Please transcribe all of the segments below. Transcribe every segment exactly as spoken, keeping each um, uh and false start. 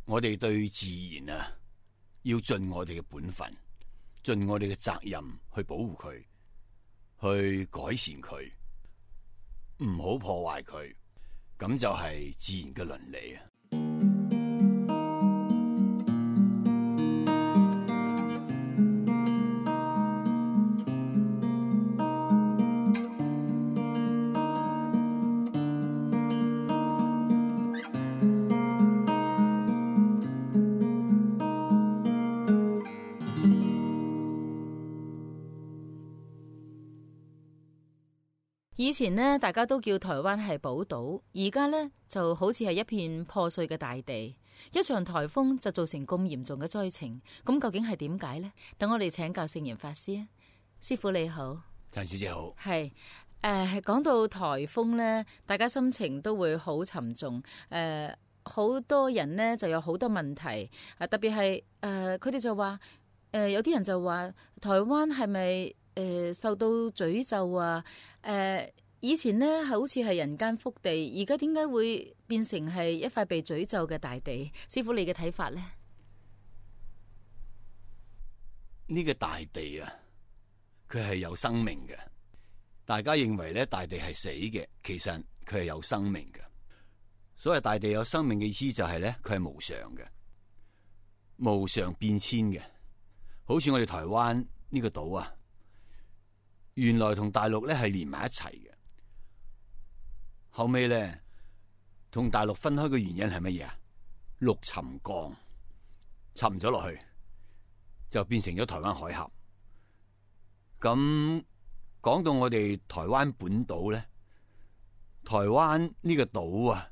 我哋對自然啊，要盡我哋嘅本分，盡我哋嘅責任去保護佢，去改善佢，唔好破壞佢，咁就係自然嘅倫理啊。以前呢，大家都叫台灣係寶島，而家呢就好似係一片破碎嘅大地，一場颱風就造成咁嚴重嘅災情。咁究竟係點解呢？等我哋請教聖嚴法師啊。師父你好。陳小姐好。係誒，講到颱風呢，大家心情都會好沉重。誒、呃，好多人呢就有好多問題。啊，特別係誒，佢哋就話誒、呃，有啲人就話台灣係咪？誒、呃，受到詛咒啊！誒、呃，以前呢係好似係人間福地，而家點解會變成係一塊被詛咒嘅大地？師父你嘅睇法呢？呢個大地啊，佢係有生命嘅。大家認為咧，大地係死嘅，其實佢係有生命嘅。所謂大地有生命嘅意思就係咧，佢係無常嘅，無常變遷嘅。好似我哋台灣呢個島啊。原來同大陸咧係連埋一齊嘅，後尾咧同大陸分開嘅原因係乜嘢啊？陸沉降沉咗落去，就變成咗台灣海峽。咁講到我哋台灣本島咧，台灣呢個島啊，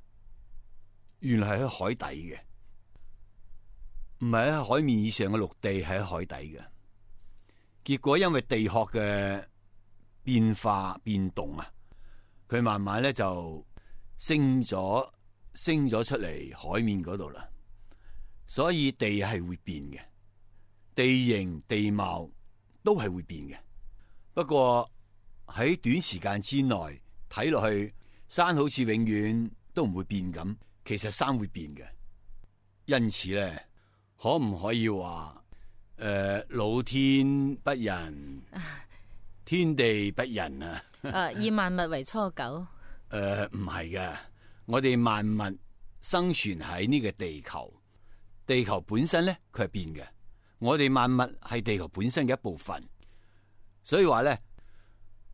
原來係喺海底嘅，唔係喺海面以上嘅陸地，係喺海底嘅。結果因為地殼嘅變化變動啊，佢慢慢咧就升咗升咗出嚟海面嗰度啦，所以地係會變嘅，地形地貌都係會變嘅。不過喺短時間之內睇落去，山好似永遠都唔會變咁，其實山會變嘅。因此咧，可唔可以話誒、呃、老天不仁？天地不仁啊！誒，以萬物為芻狗。誒，唔係嘅，我哋萬物生存喺呢個地球，地球本身咧佢係變嘅。我哋萬物係地球本身嘅一部分，所以話咧，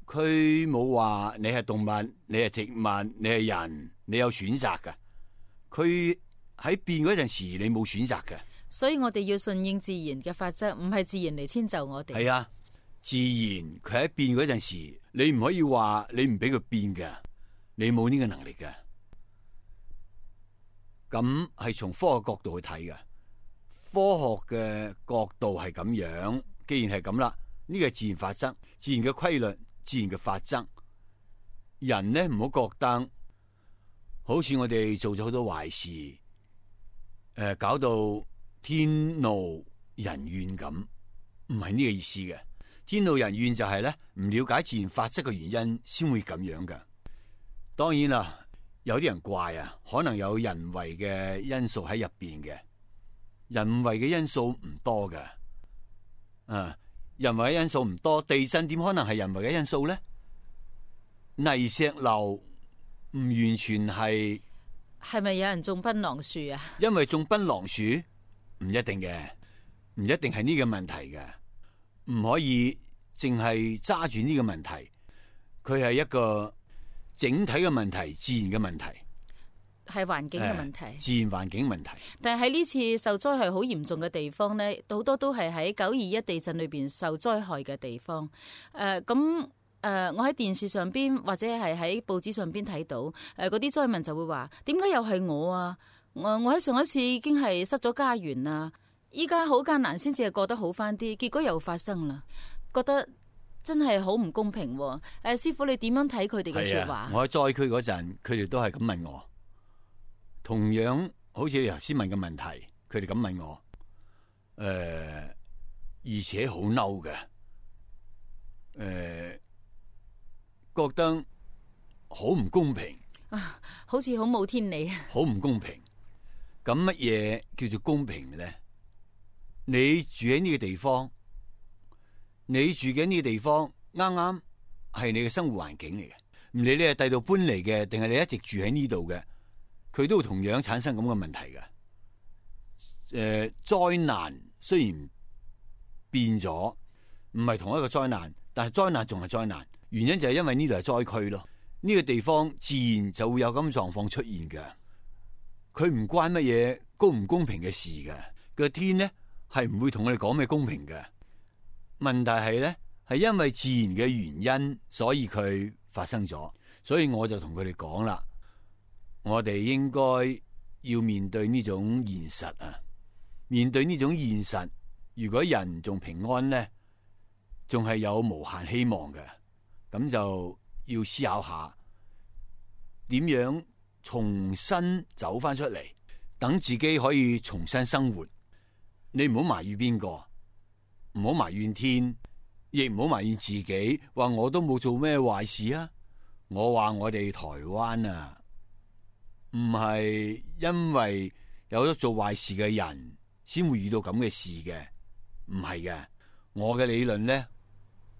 佢冇話你係動物，你係植物，你係人，你有選擇㗎。佢喺變嗰陣時，你冇選擇嘅。所以我哋要順應自然嘅法則，唔係自然嚟遷就我哋。係啊。自然佢喺變嗰陣時，你唔可以話你唔俾佢變嘅，你冇呢個能力嘅。咁係從科學角度去睇嘅，科學嘅角度係咁樣。既然係咁啦，呢個係自然法則，自然嘅規律，自然嘅法則。人呢，唔好覺得好似我哋做咗好多壞事，誒、呃，搞到天怒人怨咁，唔係呢個意思嘅。天怒人怨就係咧，唔了解自然法則嘅原因先會咁樣噶。當然啦，有啲人怪啊，可能有人為嘅因素喺入邊嘅。人為嘅因素唔多噶，啊，人為嘅因素唔多，地震點可能係人為嘅因素咧？泥石流唔完全係，係咪有人種檳榔樹啊？因為種檳榔樹唔一定嘅，唔一定係呢個問題嘅。唔可以淨係揸住呢個問題，佢係一個整體嘅問題，自然嘅問題，係環境嘅問題，呃、自然環境問題。但係喺呢次受災係好嚴重嘅地方呢，好多都係喺九二一地震裏邊受災害嘅地方。誒、呃，咁誒、呃，我喺電視上邊或者係喺報紙上邊睇到，誒、呃，嗰啲災民就會話：點解又係我啊？我我喺上一次已經係失咗家園啦。依家好艱難先至係過得好翻啲，結果又發生啦，覺得真係好唔公平。誒，師父你點樣睇佢哋嘅說話？啊、我喺災區嗰陣，佢哋都係咁問我，同樣好似你頭先問嘅問題，佢哋咁問我，誒、呃，而且好嬲嘅，誒、呃，覺得好唔公平，啊，好似好冇天理，好唔公平。咁乜嘢叫做公平咧？你住喺呢個地方，你住緊呢個地方啱啱係你嘅生活環境嚟嘅，唔理你係第度搬嚟嘅，定係你一直住喺呢度嘅，佢都會同樣產生咁嘅問題嘅。誒、呃，災難雖然變咗，唔係同一個災難，但係災難仲係災難。原因就係因為呢度係災區咯，呢、這個地方自然就會有咁狀況出現嘅。佢唔關乜嘢公唔公平嘅事嘅，個天呢係唔會同我哋講咩公平嘅。問題係咧，係因為自然嘅原因，所以佢發生咗。所以我就同佢哋講啦，我哋應該要面對呢種現實啊！面對呢種現實，如果人仲平安咧，仲係有無限希望嘅。咁就要思考下點樣重新走翻出嚟，等自己可以重新生活。你唔好埋怨邊個，唔好埋怨天，亦唔好埋怨自己，話我都冇做咩壞事啊！我話我哋台灣啊，唔係因為有咗做壞事嘅人先會遇到咁嘅事嘅，唔係嘅。我嘅理論咧，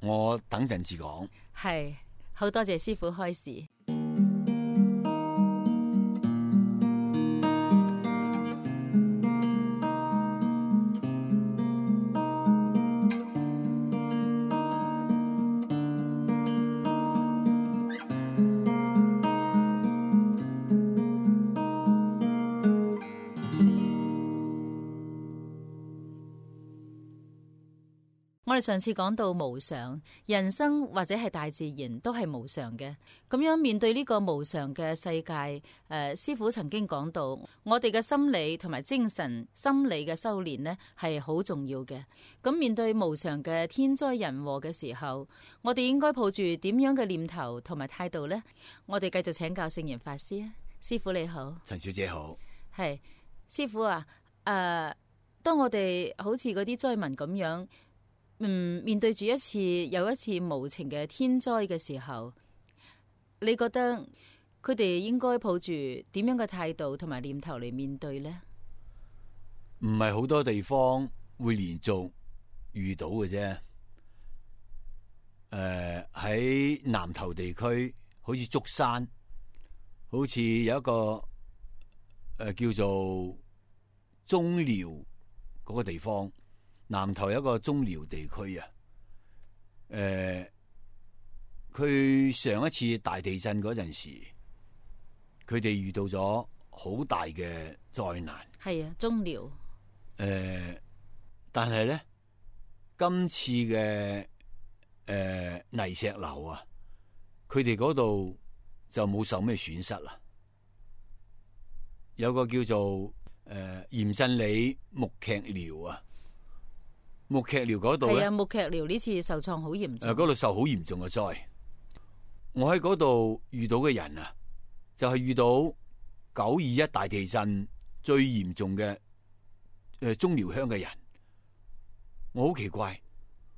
我等陣至講。係，好多謝師傅開示。我哋上次講到無常，人生或者係大自然都係無常嘅。咁樣面對呢個無常嘅世界，誒、呃，師父曾經講到，我哋嘅心理同埋精神心理嘅修煉呢係好重要嘅。咁面對無常嘅天災人禍嘅時候，我哋應該抱住點樣嘅念頭同埋態度呢？我哋繼續請教聖嚴法師啊，師父你好，陳小姐好，係師父啊。誒、呃，當我哋好似嗰啲災民咁樣。嗯，面對住一次又一次無情嘅天災嘅時候，你覺得佢哋應該抱住點樣嘅態度同埋念頭嚟面對呢？唔係好多地方會連續遇到嘅啫。誒、呃，喺南投地區，好似竹山，好似有一個誒、呃、叫做中寮嗰個地方。南投有一個中寮地區啊，誒、呃，佢上一次大地震嗰陣時，佢哋遇到咗好大嘅災難。係啊，中寮。誒、呃，但係咧，今次嘅誒、呃、泥石流啊，佢哋嗰度就冇受咩損失啦。有個叫做誒鹽鎮里木屐寮啊。木屐寮嗰度咧，係啊，木屐寮呢次受創好嚴重。誒，嗰度受好嚴重嘅災。我喺嗰度遇到嘅人啊，就係、是、遇到九二一大地震最嚴重嘅誒中寮鄉嘅人。我好奇怪，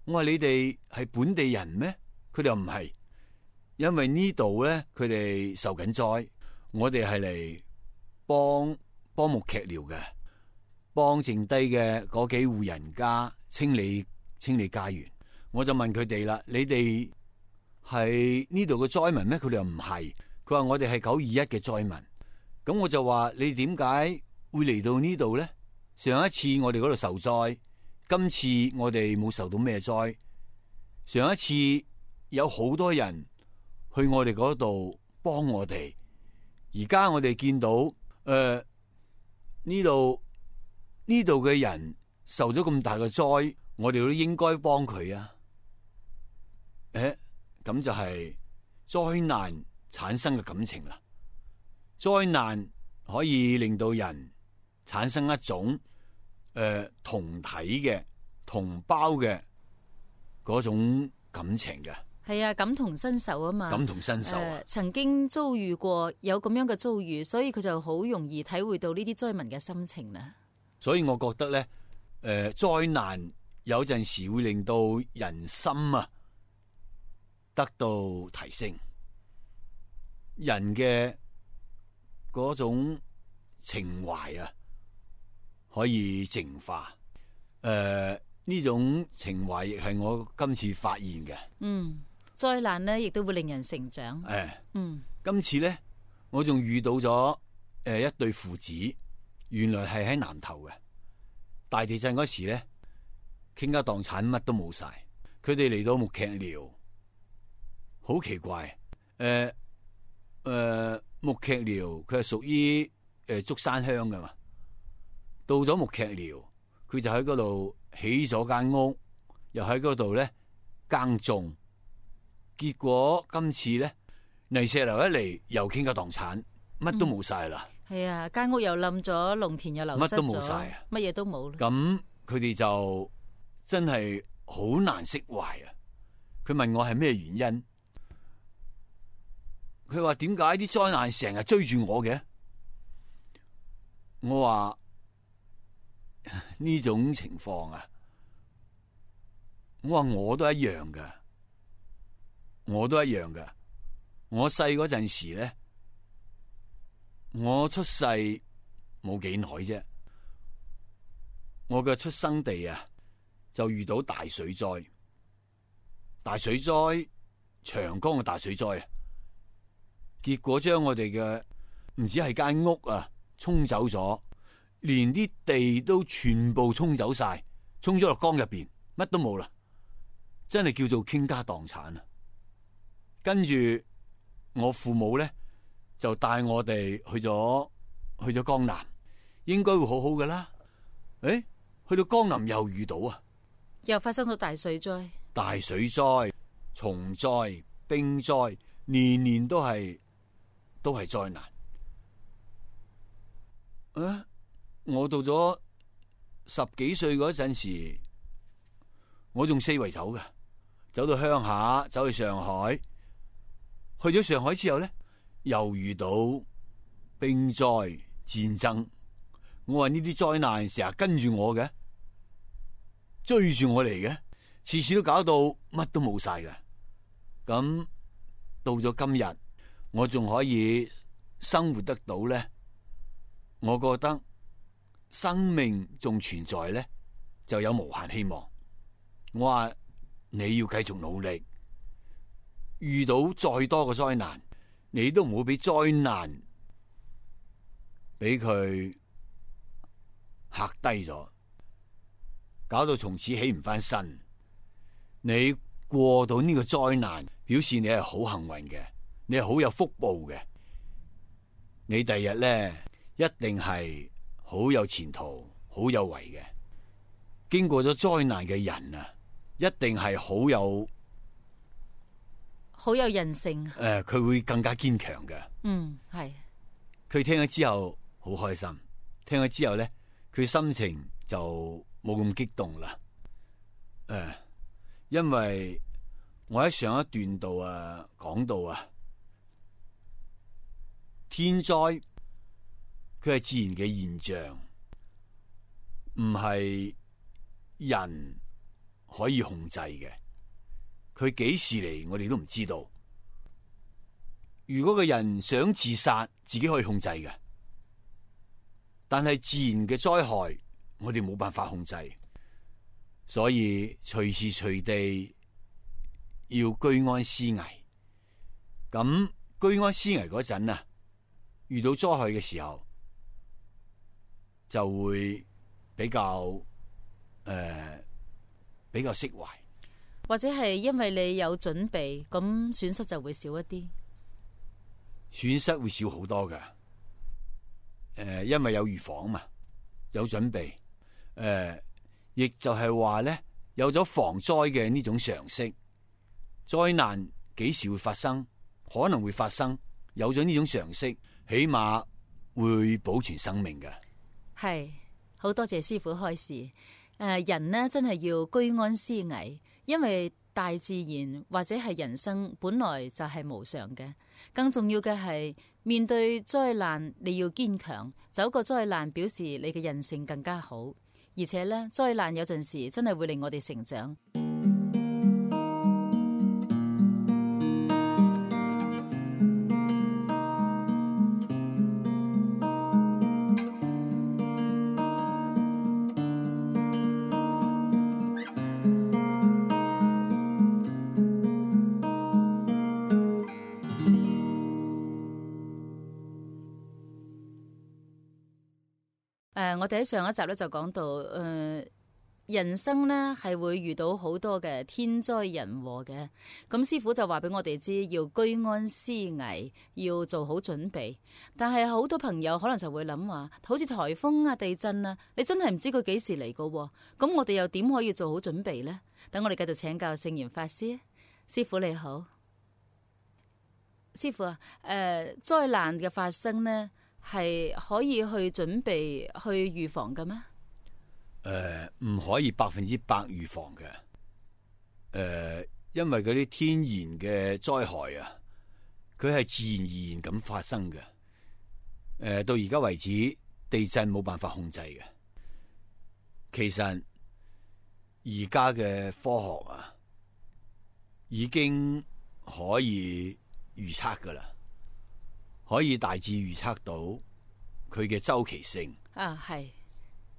我話你哋係本地人咩？佢哋又唔係，因為呢度咧佢哋受緊災，我哋係嚟幫幫木屐寮嘅，幫剩低嘅嗰幾戶人家。清理清理家園，我就問佢哋啦：你哋係呢度嘅災民咩？佢哋又唔係，佢話我哋係九二一嘅災民。咁我就話：你點解會嚟到呢度咧？上一次我哋嗰度受災，今次我哋冇受到咩災。上一次有好多人去我哋嗰度幫我哋，而家我哋見到誒呢度呢度嘅人。受咗咁大嘅災，我哋都應該幫佢啊！誒，咁就係災難產生嘅感情啦。災難可以令到人產生一種誒、呃、同體嘅同胞嘅嗰種感情嘅。係啊，感同身受啊嘛。感同身受啊、呃！曾經遭遇過有咁樣嘅遭遇，所以佢就好容易體會到呢啲災民嘅心情啦。所以我覺得咧。誒、呃，災難有陣時會令到人心啊得到提升，人嘅嗰種情懷啊可以淨化。誒、呃，呢種情懷亦係我今次發現嘅。嗯，災難呢亦都會令人成長。誒、呃，嗯，今次咧，我仲遇到咗誒、呃、一對父子，原來係喺南頭嘅大地震嗰時咧，傾家蕩產乜都冇晒，佢哋嚟到木屐寮，好奇怪。誒、呃、誒、呃，木屐寮佢係屬於誒竹山鄉噶嘛，到咗木屐寮，佢就喺嗰度起咗間屋，又喺嗰度咧耕種，結果今次咧泥石流一嚟，又傾家蕩產，乜都冇晒啦。係、嗯、啊，間屋又冧咗，農田又流失咗，乜都冇晒啊，乜嘢都冇啦。咁佢哋就真係好難釋懷啊！佢問我係咩原因？佢話點解啲災難成日追住我嘅？我話呢種情況啊，我話我都一樣噶，我都一樣噶。我細嗰陣時咧，我出世冇幾耐啫，我嘅出生地啊就遇到大水災，大水災，長江嘅大水災啊！結果將我哋嘅唔止係間屋啊沖走咗，連啲地都全部沖走晒，沖咗落江入邊，乜都冇啦，真係叫做傾家蕩產啊！跟住我父母咧就帶我哋去咗去咗江南，應該會好好噶啦。誒，去到江南又遇到啊，又發生咗大水災，大水災、蟲災、冰災，年年都係。都係災難。啊！我到咗十幾歲嗰陣時，我仲四圍走㗎，走到鄉下，走去上海。去咗上海之後咧，又遇到冰災、戰爭。我話呢啲災難成日跟住我嘅，追住我嚟嘅，次次都搞到乜都冇晒嘅。咁到咗今日，我仲可以生活得到咧，我覺得生命仲存在咧，就有無限希望。我話你要繼續努力，遇到再多嘅災難，你都唔好俾災難俾佢嚇低咗，搞到從此起唔翻身。你過到呢個災難，表示你係好幸運嘅。你係好有福報嘅，你第日咧一定係好有前途、好有為嘅。經過咗災難嘅人啊，一定係好有好有人性。誒、呃，佢會更加堅強嘅。嗯，係。佢聽咗之後好開心，聽咗之後咧，佢心情就冇咁激動啦。誒、呃，因為我喺上一段度啊講到啊。天災佢係自然嘅現象，唔係人可以控制嘅。佢幾時嚟，我哋都唔知道。如果個人想自殺，自己可以控制嘅，但係自然嘅災害，我哋冇辦法控制。所以隨時隨地要居安思危。咁居安思危嗰陣啊，遇到災害嘅時候，就會比較誒、呃、比較釋懷，或者係因為你有準備，咁損失就會少一啲。損失會少好多㗎。誒、呃，因為有預防嘛，有準備。誒、呃，亦就係話咧，有咗防災嘅呢種常識，災難幾時會發生，可能會發生，有咗呢種常識，起碼會保存生命嘅。係，好多謝師傅開示。誒、呃，人呢真係要居安思危，因為大自然或者係人生本來就係無常嘅。更重要嘅係面對災難，你要堅強，走過災難表示你嘅人性更加好。而且呢，災難有陣時真係會令我哋成長。呃，我哋喺上一集咧就講到，誒、呃，人生呢係會遇到好多嘅天災人禍嘅。咁師傅就話俾我哋知，要居安思危，要做好準備。但係好多朋友可能就會諗話，好似颱風啊、地震啊，你真係唔知佢幾時嚟噶。咁我哋又點可以做好準備呢？等我哋繼續請教聖嚴法師。師傅你好。師傅啊，誒、呃，災難嘅發生呢，係可以去準備去預防嘅咩？誒、呃，唔可以百分之百預防嘅。誒、呃，因為嗰啲天然嘅災害啊，佢係自然而然咁發生嘅。誒、呃，到而家為止，地震冇辦法控制嘅。其實而家嘅科學啊，已經可以預測噶啦，可以大致預測到佢嘅周期性啊，係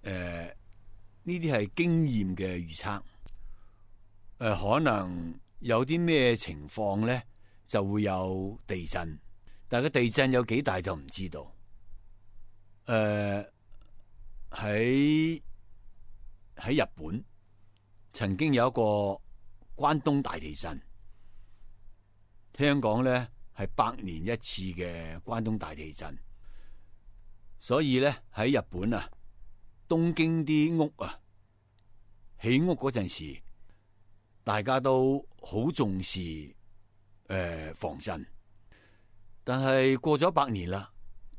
誒呢啲係經驗嘅預測。誒、呃，可能有啲咩情況咧就會有地震，但係個地震有幾大就唔知道。誒、呃，喺喺日本曾經有一個關東大地震。聽講咧係百年一次嘅關東大地震，所以咧喺日本啊，東京啲屋啊起屋嗰陣時，大家都好重視誒、呃、防震。但係過咗百年啦，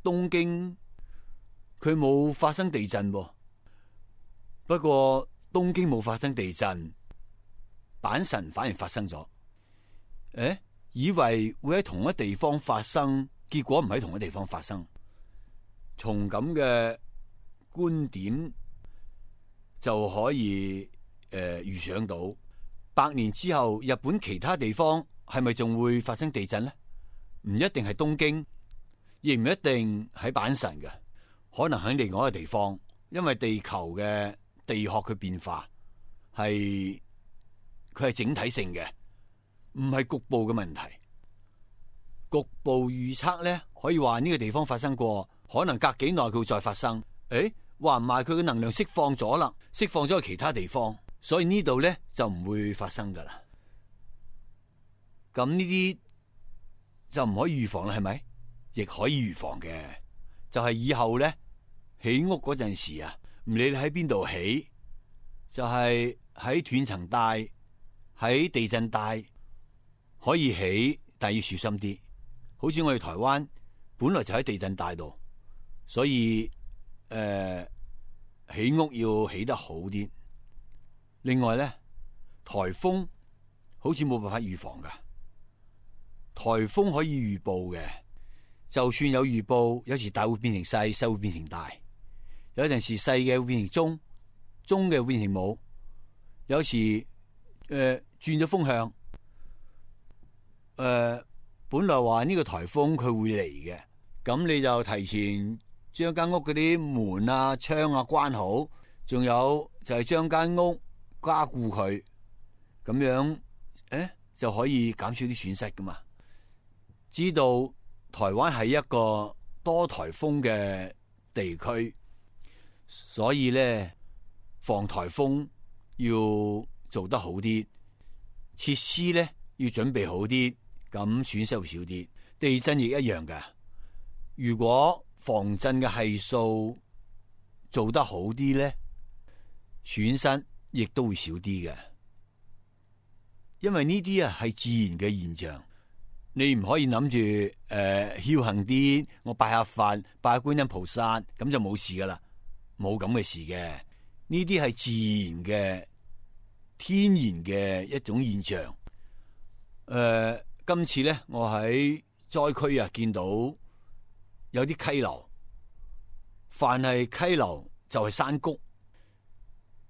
東京佢冇發生地震噃。不過東京冇發生地震，阪神反而發生咗。誒？以為會喺同一地方發生，結果唔喺同一地方發生。從咁嘅觀點就可以誒預想到，百年之後日本其他地方係咪仲會發生地震呢？唔一定係東京，亦唔一定喺阪神嘅，可能喺另外一個地方。因為地球嘅地殼嘅變化係佢係整體性嘅。唔係局部嘅問題，局部預測咧可以話呢個地方發生過，可能隔幾耐佢會再發生。誒，話唔埋佢嘅能量釋放咗啦，釋放咗去其他地方，所以呢度咧就唔會發生噶啦。咁呢啲就唔可以預防啦，係咪？亦可以預防嘅，就係以後咧起屋嗰陣時啊，唔理你喺邊度起，就係喺斷層帶、喺地震帶。可以起，但要小心啲。好似我哋台灣本來就喺地震帶度，所以誒、呃、起屋要起得好啲。另外咧，颱風好似冇辦法預防噶。颱風可以預報嘅，就算有預報，有時大會變成細，細會變成大。有陣時細嘅會變成中，中嘅會變成冇。有時誒、呃、轉咗風向。誒、呃，本來話呢個颱風佢會嚟嘅，咁你就提前將間屋嗰啲門啊、窗啊關好，仲有就係將間屋加固佢，咁樣誒就可以減少啲損失噶嘛。知道台灣係一個多颱風嘅地區，所以咧防颱風要做得好啲，設施咧要準備好啲。咁損失會少啲，地震亦一樣㗎。如果防震嘅係數做得好啲咧，損失亦都會少啲嘅。因為呢啲啊係自然嘅現象，你唔可以諗住誒僥倖啲，我拜下佛、拜下觀音菩薩，咁就冇事噶啦，冇咁嘅事嘅。呢啲係自然嘅、天然嘅一種現象，誒、呃。今次咧，我喺災區啊，見到有啲溪流，凡係溪流就係山谷，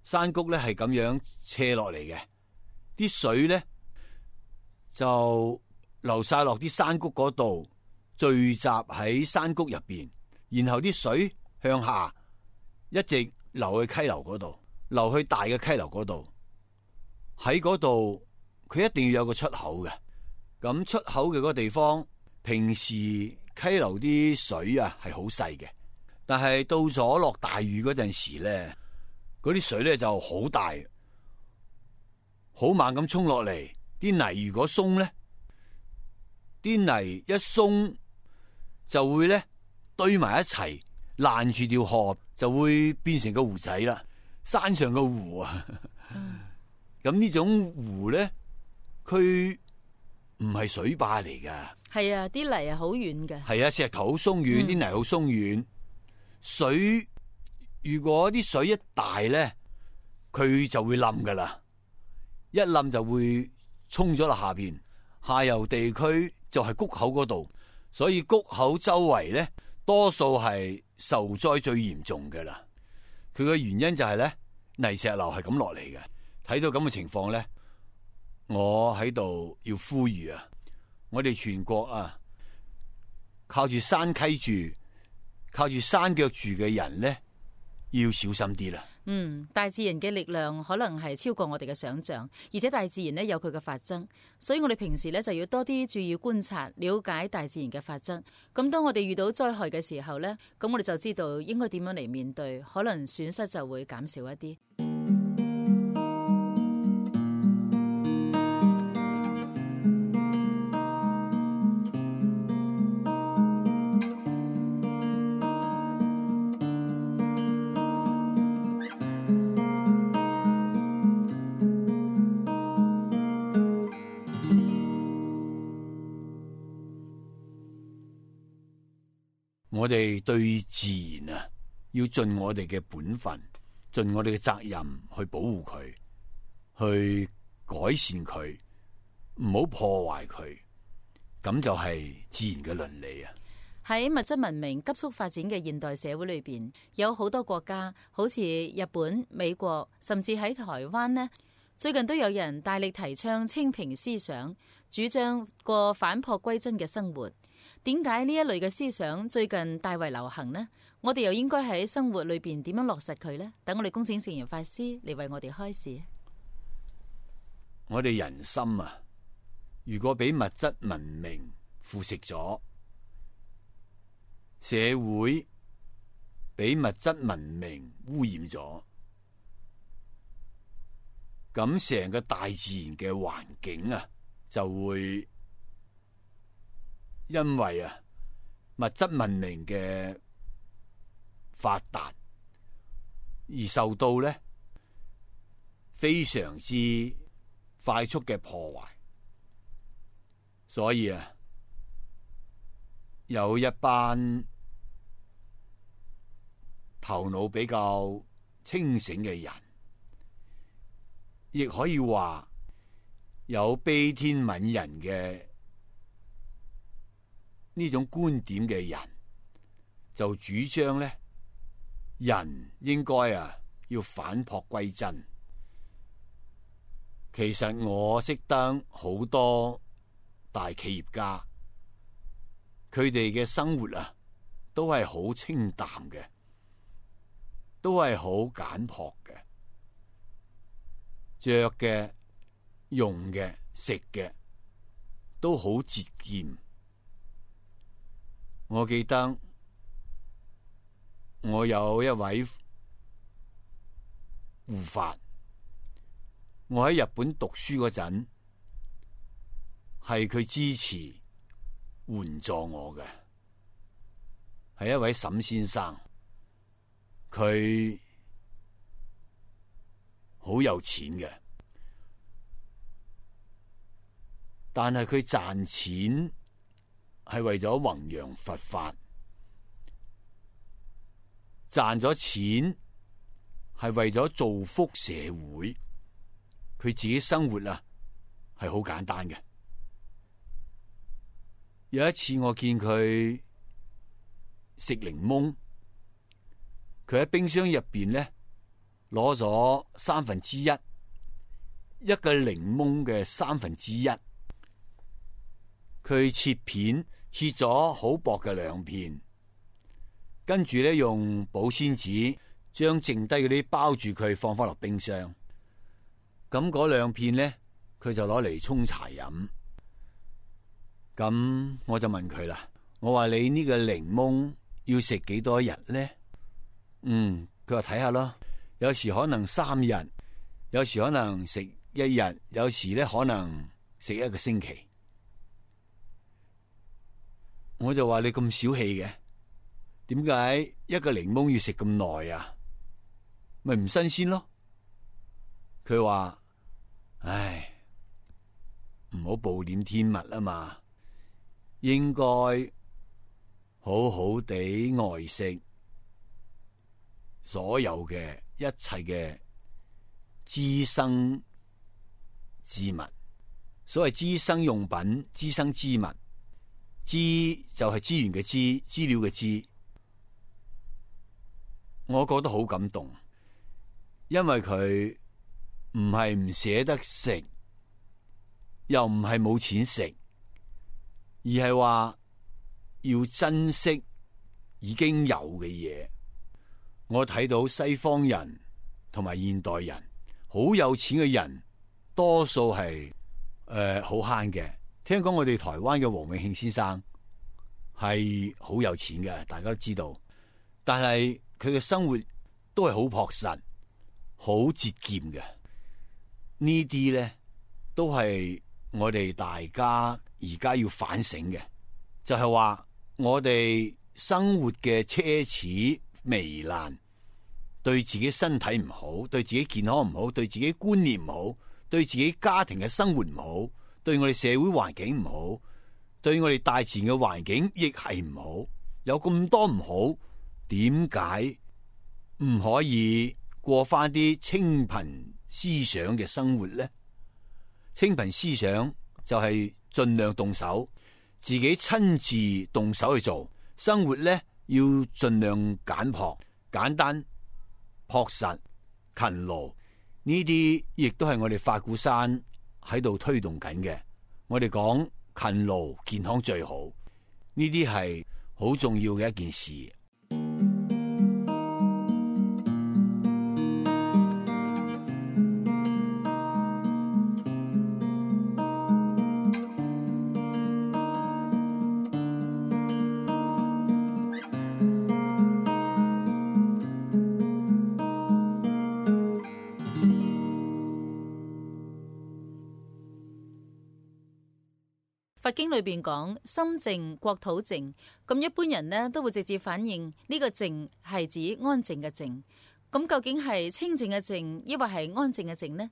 山谷咧係咁樣斜落嚟嘅，啲水咧就流晒落啲山谷嗰度，聚集喺山谷入邊，然後啲水向下一直流去溪流嗰度，流去大嘅溪流嗰度，喺嗰度佢一定要有個出口嘅。咁出口嘅嗰個地方，平時溪流啲水啊係好細嘅，但係到咗落大雨嗰陣時咧，嗰啲水咧就好大，好猛咁衝落嚟。啲泥如果鬆咧，啲泥一鬆就會咧堆埋一齊，攔住條河，就會變成個湖仔啦。山上個湖啊，咁呢、嗯、種湖咧，佢唔係水壩嚟噶。係啊，啲泥係好軟嘅。係啊，石頭好鬆軟，啲、嗯、泥好鬆軟。水如果啲水一大咧，佢就會冧噶啦。一冧就會沖咗落下邊。下游地區就係谷口嗰度，所以谷口周圍咧，多數係受災最嚴重嘅啦。佢嘅原因就係咧，泥石流係咁落嚟嘅。睇到咁嘅情況咧，我喺度要呼籲啊，我哋全國啊，靠住山溪住、靠住山腳住嘅人咧，要小心啲啦。嗯，大自然嘅力量可能係超過我哋嘅想象，而且大自然咧有佢嘅法則，所以我哋平時咧就要多啲注意觀察、了解大自然嘅法則。咁當我哋遇到災害嘅時候咧，咁我哋就知道應該點樣嚟面對，可能損失就會減少一啲。我哋對自然啊，要盡我哋嘅本分，盡我哋嘅責任去保護佢，去改善佢，唔好破壞佢，咁就係自然嘅倫理啊。喺物質文明急速發展嘅現代社會裏邊，有好多國家，好似日本、美國，甚至喺台灣呢，最近都有人大力提倡清貧思想，主張過返璞歸真嘅生活。點解呢一類嘅思想最近大為流行呢？我哋又應該喺生活裏邊點樣落實佢呢？等我哋恭請聖嚴法師嚟為我哋開示。我哋人心啊，如果俾物質文明腐蝕咗，社會俾物質文明污染咗，咁成個大自然嘅環境啊，就會因為啊物質文明嘅發達而受到咧非常之快速嘅破壞，所以啊有一班頭腦比較清醒嘅人，亦可以話有悲天憫人嘅呢種觀點嘅人，就主張咧，人應該啊要返璞歸真。其實我識得好多大企業家，佢哋嘅生活啊都係好清淡嘅，都係好簡樸嘅，着嘅、用嘅、食嘅都好節儉。我記得我有一位護法，我喺日本讀書嗰陣，係佢支持援助我嘅，係一位沈先生，佢好有錢嘅，但係佢賺錢係為咗弘揚佛法，賺咗錢係為咗造福社會，佢自己生活啊係好簡單嘅。有一次我見佢食檸檬，佢喺冰箱入邊咧攞咗三分之一，一個檸檬嘅三分之一，佢切片切咗好薄嘅兩片，跟住咧用保鮮紙將剩低嗰啲包住佢，放翻落冰箱。咁嗰兩片咧，佢就攞嚟沖茶飲。咁我就問佢啦，我話你呢個檸檬要食幾多日呢？嗯，佢話睇下咯，有時可能三日，有時可能食一日，有時咧可能食一個星期。我就話你咁小氣嘅，點解一個檸檬要食咁耐啊？咪唔新鮮咯？佢話：唉，唔好暴殄天物啊嘛，應該好好地愛惜所有嘅一切嘅滋生之物。所謂滋生用品、滋生之物，滋就係資源嘅資，資料嘅資。我覺得好感動，因為佢唔係唔捨得食，又唔係冇錢食，而係話要珍惜已經有嘅嘢。我睇到西方人同埋現代人，好有錢嘅人，多數係誒好慳嘅。聽講我哋台灣嘅黃永慶先生係好有錢嘅，大家都知道。但係佢嘅生活都係好樸實、好節儉嘅。呢啲咧都係我哋大家而家要反省嘅，就係話我哋生活嘅奢侈糜爛，對自己身體唔好，對自己健康唔好，對自己觀念唔好，對自己家庭嘅生活唔好，對我哋社會環境唔好，對我哋大自然嘅環境亦係唔好。有咁多唔好，點解唔可以過翻啲清貧思想嘅生活呢？清貧思想就係盡量動手，自己親自動手去做生活咧，要盡量簡樸、簡單、樸實、勤勞。呢啲亦都係我哋法鼓山喺度推動緊嘅。我哋講勤勞健康最好，呢啲係好重要嘅一件事。佛經裏邊講心靜國土靜，咁一般人呢都會直接反映呢個靜係指安靜嘅靜。咁究竟係清靜嘅靜，抑或係安靜嘅靜呢？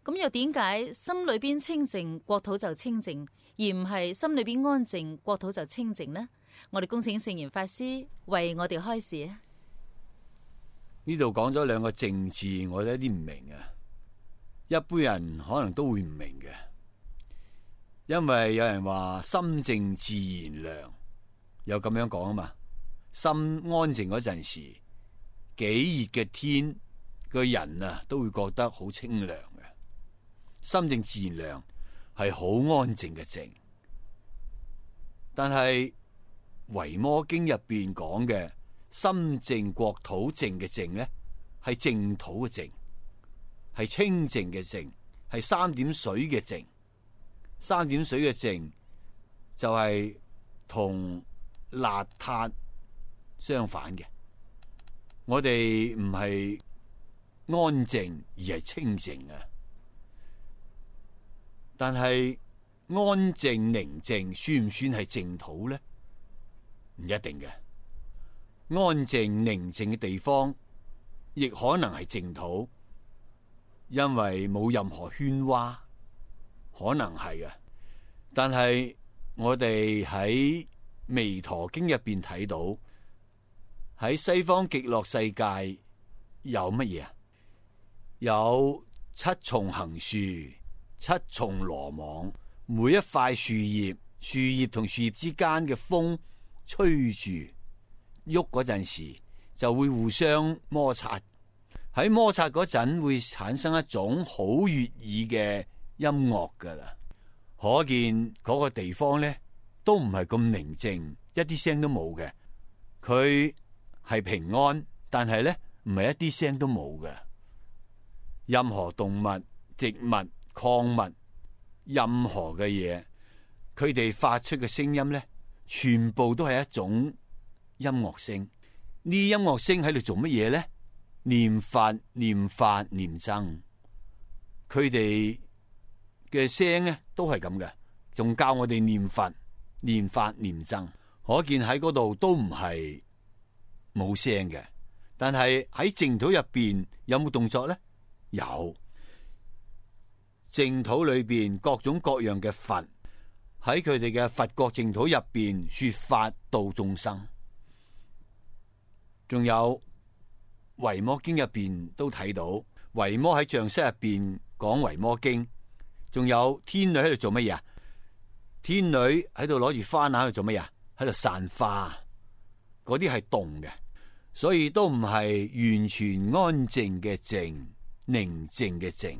咁又點解心裏邊清靜，國土就清靜，而唔係心裏邊安靜，國土就清靜呢？我哋恭請聖嚴法師為我哋開示啊！呢度講咗兩個靜字，我有啲唔明啊。一般人可能都會唔明嘅。因為有人話心靜自然涼，有咁樣講啊嘛。心安靜嗰陣時，幾熱嘅天，個人啊都會覺得好清涼嘅。心靜自然涼係好安靜嘅靜，但係維摩經入邊講嘅心靜國土靜嘅靜咧，係淨土嘅靜，係清靜嘅靜，係三點水嘅靜。三點水嘅靜就係同邋遢相反嘅。我哋唔係安靜而係清靜啊。但係安靜寧靜算唔算係淨土咧？唔一定嘅。安靜寧靜嘅地方亦可能係淨土，因為冇任何喧嘩。可能係啊，但係我哋喺彌陀經入邊睇到，喺西方極樂世界有乜嘢啊？有七重行樹，七重羅網，每一塊樹葉，樹葉同樹葉之間嘅風吹住喐嗰陣時，就會互相摩擦。喺摩擦嗰陣會產生一種好悅耳嘅音樂噶啦，可見嗰個地方咧都唔係咁寧靜，一啲聲都冇嘅。佢係平安，但係咧唔係一啲聲都冇嘅。任何動物、植物、礦物，任何嘅嘢，佢哋發出嘅聲音咧，全部都係一種音樂聲。呢音樂聲喺度做乜嘢咧？念佛、念法、念僧。佢哋嘅聲咧都係咁嘅，仲教我哋念佛、念法、念僧。可見喺嗰度都唔係冇聲嘅。但係喺淨土入邊有冇動作咧？有。淨土裏邊各種各樣嘅佛喺佢哋嘅佛國淨土入邊說法度眾生。仲有維摩經入邊都睇到，維摩喺象室入邊講維摩經。仲有天女喺度做乜嘢啊？天女喺度攞住花籃喺度做乜嘢啊？喺度散花。嗰啲係動嘅，所以都唔係完全安靜嘅靜，寧靜嘅靜。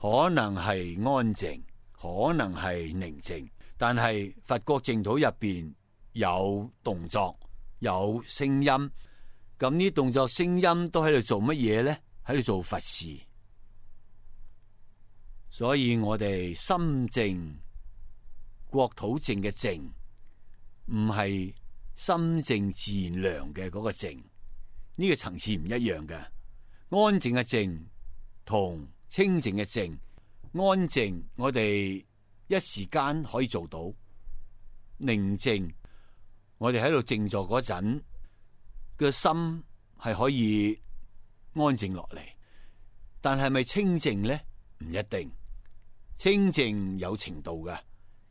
可能係安靜，可能係寧靜，但係佛國淨土入邊有動作，有聲音。咁呢動作聲音都喺度做乜嘢咧？喺度做佛事。所以我哋心靜國土靜嘅靜，唔係心靜自然涼嘅嗰個靜，呢個層次唔一樣嘅。安靜嘅靜同清靜嘅靜，安靜我哋一時間可以做到，寧靜我哋喺度靜坐嗰陣個心係可以安靜落嚟。但係咪清靜咧？唔一定。清靜有程度嘅，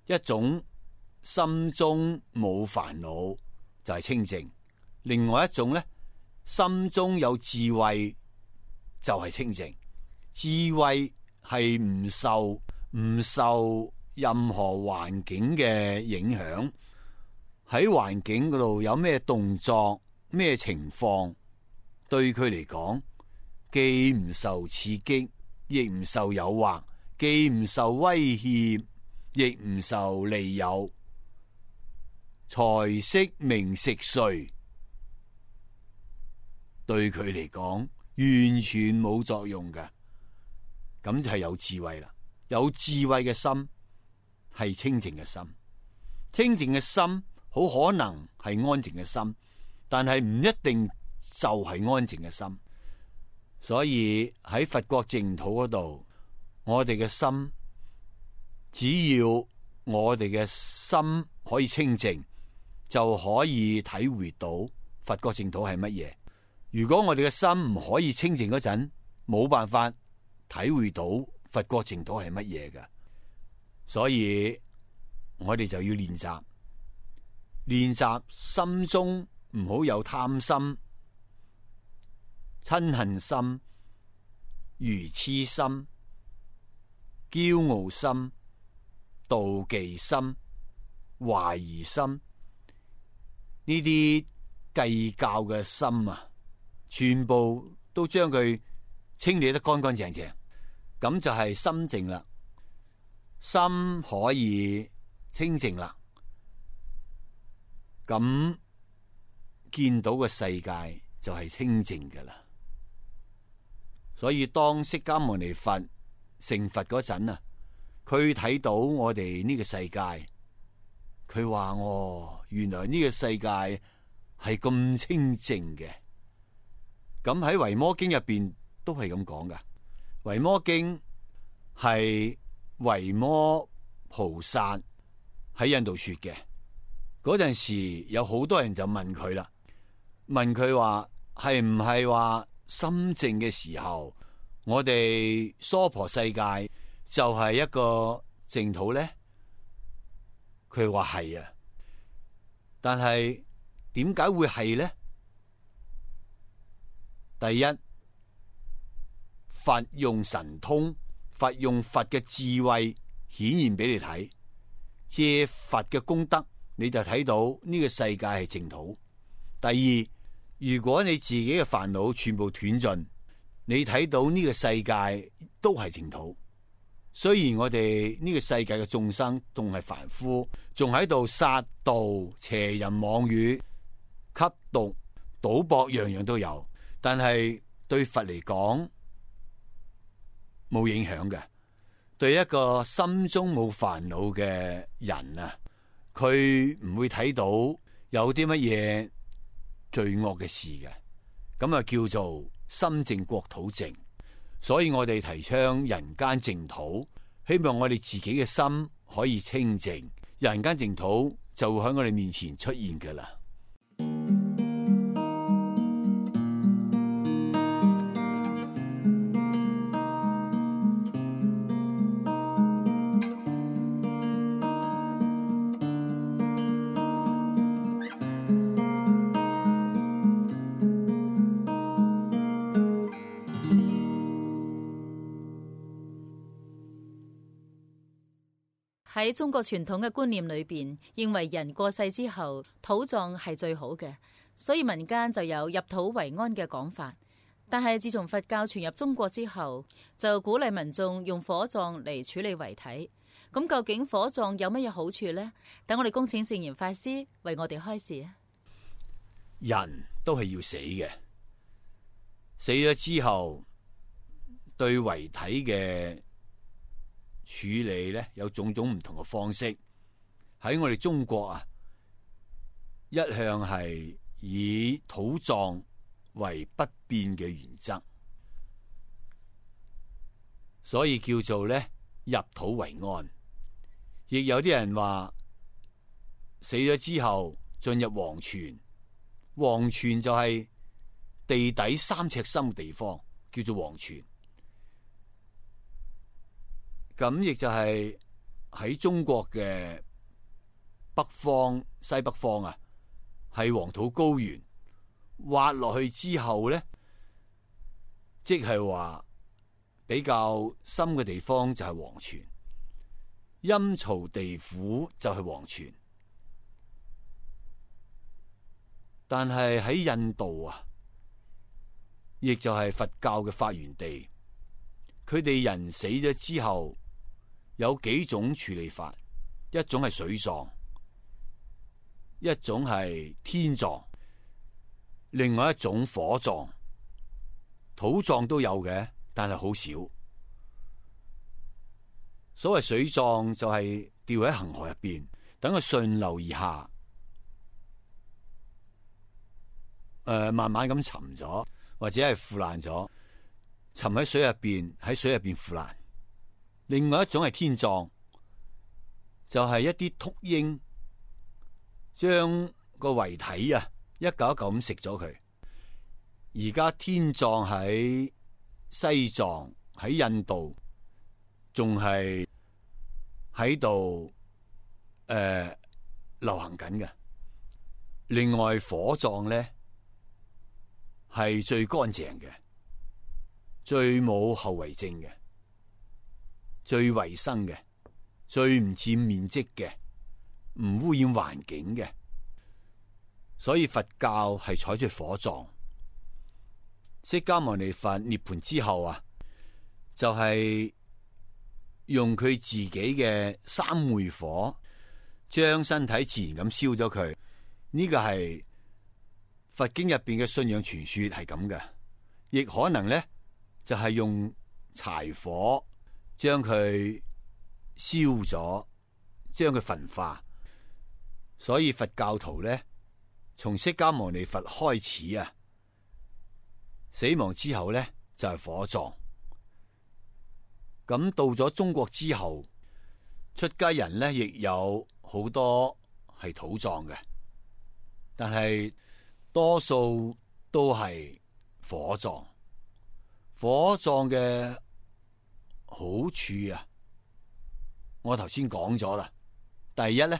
一種心中冇煩惱就係清靜，另外一種咧，心中有智慧就係清靜。智慧係唔受唔受任何環境嘅影響，喺環境嗰度有咩動作咩情況，對佢嚟講既唔受刺激，亦唔受誘惑，既唔受威脅，亦唔受利誘，財色名食睡對佢嚟講完全冇作用嘅。咁就係有智慧啦。有智慧嘅心係清淨嘅心，清淨嘅心好可能係安靜嘅心，但係唔一定就係安靜嘅心。所以喺佛國淨土嗰度，我哋嘅心，只要我哋嘅心可以清淨，就可以體會到佛國淨土係乜嘢。如果我哋嘅心唔可以清淨嗰陣，冇辦法體會到佛國淨土係乜嘢㗎。所以我哋就要練習，練習心中唔好有貪心、嗔恨心、愚癡心、驕傲心、妒忌心、懷疑心，呢啲計較嘅心啊，全部都將佢清理得乾乾淨淨，咁就係心靜啦。心可以清淨啦，咁見到嘅世界就係清淨噶啦。所以當釋迦牟尼佛成佛嗰陣啊，佢睇到我哋呢個世界，佢話哦，原來呢個世界係咁清淨嘅。咁喺維摩經入邊都係咁講噶。維摩經係維摩菩薩喺印度說嘅。嗰陣時有好多人就問佢啦，問佢話係唔係話心靜嘅時候，我哋娑婆世界就係一個淨土咧？佢話係啊，但係點解會係咧？第一，佛用神通，佛用佛嘅智慧顯現俾你睇，借佛嘅功德，你就睇到呢個世界係淨土。第二，如果你自己嘅煩惱全部斷盡，你睇到呢個世界都係淨土。雖然我哋呢個世界嘅眾生仲係凡夫，仲喺度殺盜、邪淫妄語、吸毒、賭博，樣樣都有，但係對佛嚟講冇影響嘅。對一個心中冇煩惱嘅人啊，佢唔會睇到有啲乜嘢罪惡嘅事嘅，咁啊叫做心淨國土淨。所以我哋提倡人間淨土，希望我哋自己嘅心可以清淨，人間淨土就會喺我哋面前出現㗎喇。喺中國傳統嘅觀念裏邊，認為人過世之後土葬係最好嘅，所以民間就有入土為安嘅講法。但係自從佛教傳入中國之後，就鼓勵民眾用火葬嚟處理遺體。咁究竟火葬有乜嘢好處呢？等我哋恭請聖嚴法師為我哋開示啊！人都係要死嘅，死咗之後對遺體嘅處理咧，有種種唔同嘅方式。喺我哋中國啊，一向係以土葬為不變嘅原則，所以叫做咧入土為安。亦有啲人話死咗之後進入黃泉，黃泉就係地底三尺深嘅地方，叫做黃泉。咁亦就係喺中國嘅北方、西北方啊，係黃土高原，挖落去之後咧，即係話比較深嘅地方就係黃泉，陰曹地府就係黃泉。但係喺印度啊，亦就係佛教嘅發源地，佢哋人死咗之後，有幾種處理法，一種係水葬，一種係天葬，另外一種火葬。土葬都有嘅，但係好少。所謂水葬就係掉喺恒河入邊，等佢順流而下，誒、呃，慢慢咁沉咗，或者係腐爛咗，沉喺水入邊，喺水入邊腐爛。另外一種係天葬，就係、是、一啲禿鷹將個遺體啊一嚿一嚿咁食咗佢。而家天葬喺西藏、喺印度仲係喺度誒流行緊嘅。另外火葬咧係最乾淨嘅，最冇後遺症嘅，最衛生嘅，最唔佔面積嘅，唔污染環境嘅。所以佛教係採取火葬。釋迦牟尼佛涅槃之後啊，就係、是、用佢自己嘅三昧火將身體自然咁燒咗佢。呢、這個係佛經入邊嘅信仰傳說係咁嘅，亦可能咧就係、是、用柴火將佢燒咗，將佢焚化。所以佛教徒咧，從釋迦牟尼佛開始啊，死亡之後咧就係、是、火葬。咁到咗中國之後，出家人咧亦有好多係土葬嘅，但係多數都係火葬。火葬嘅好處啊，我頭先講咗啦。第一咧，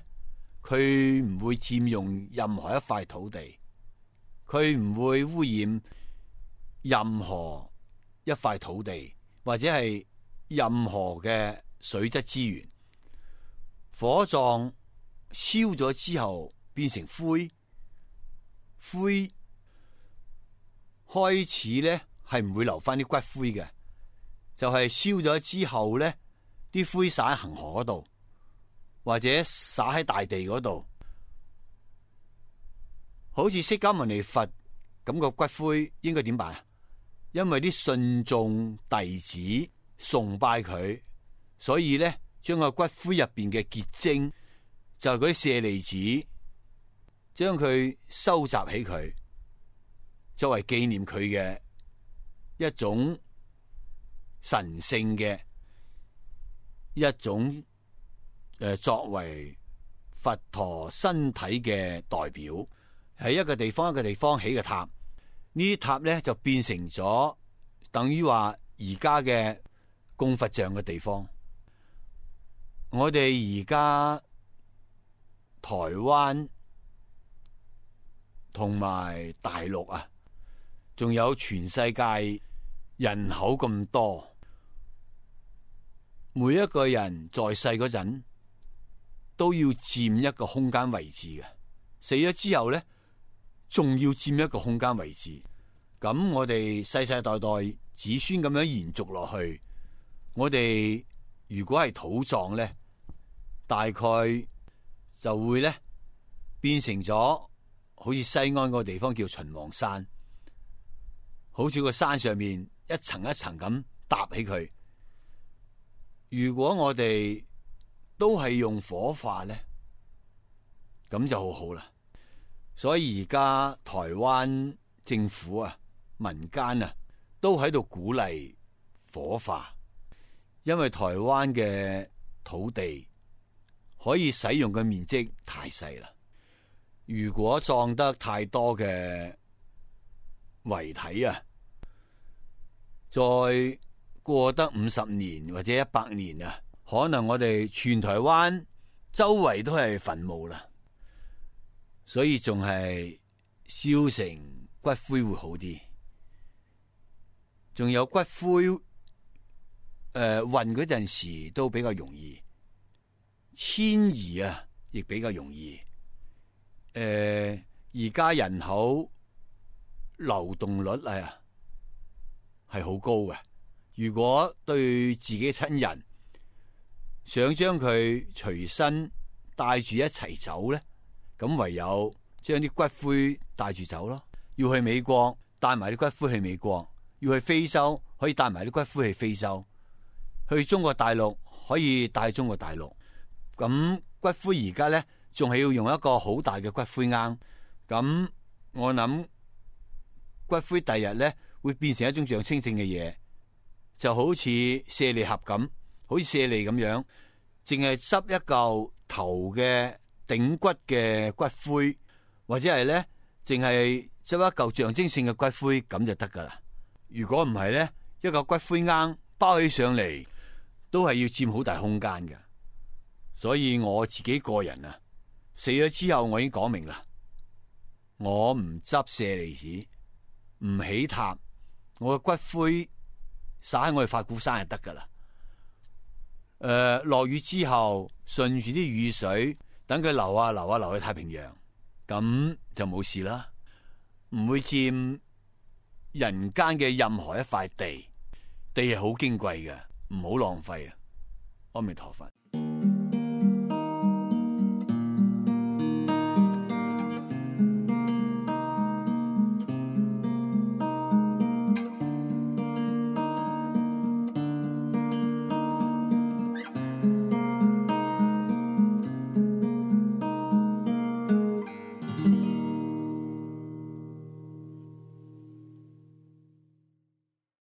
佢唔會佔用任何一塊土地，佢唔會污染任何一塊土地，或者係任何嘅水質資源。火葬燒咗之後變成灰，灰開始咧係唔會留翻啲骨灰嘅，就係燒咗之後咧，啲灰灑喺恒河嗰度，或者灑喺大地嗰度。好似釋迦牟尼佛咁個骨灰應該點辦啊？因為啲信眾弟子崇拜佢，所以咧將個骨灰入邊嘅結晶，就係嗰啲舍利子，將佢收集起佢，作為紀念佢嘅一種神聖嘅一種誒、呃，作為佛陀身體嘅代表，喺一個地方一個地方起嘅塔，呢啲塔咧就變成咗等於話而家嘅供佛像嘅地方。我哋而家台灣同埋大陸啊，仲有全世界人口咁多，每一個人在世嗰陣都要佔一個空間位置嘅，死咗之後咧，仲要佔一個空間位置。咁我哋世世代代子孫咁樣延續落去，我哋如果係土葬咧，大概就會咧變成咗好似西安個地方叫秦皇山，好似個山上面一層一層咁搭起佢。如果我哋都係用火化咧，咁就好好啦。所以而家台灣政府啊、民間啊都喺度鼓勵火化，因為台灣嘅土地可以使用嘅面積太細啦。如果葬得太多嘅遺體啊，再過得五十年或者一百年啊，可能我哋全台灣周圍都係墳墓啦。所以仲係燒成骨灰會好啲。仲有骨灰誒運嗰陣時都比較容易，遷移啊亦比較容易。誒而家人口流動率啊係好高嘅。如果對自己親人想將佢隨身帶住一齊走咧，咁唯有將啲骨灰帶住走咯。要去美國帶埋啲骨灰去美國，要去非洲可以帶埋啲骨灰去非洲，去中國大陸可以帶中國大陸。咁骨灰而家咧仲係要用一個好大嘅骨灰罌。咁我諗骨灰第日咧會變成一種象徵性嘅嘢，就好似舍利盒咁，好似舍利咁樣，淨係執一嚿頭嘅頂骨嘅骨灰，或者係咧淨係執一嚿象徵性嘅骨灰咁就得噶啦。如果唔係咧，一個骨灰罌包起上嚟都係要佔好大空間嘅。所以我自己個人啊，死咗之後我已經講明啦，我唔執舍利子，唔起塔，我嘅骨灰灑喺我哋法鼓山就得噶啦。誒、呃，落雨之後順住啲雨水，等佢流啊流啊流去太平洋，咁就冇事啦，唔會佔人間嘅任何一塊地。地係好矜貴嘅，唔好浪費啊！阿彌陀佛。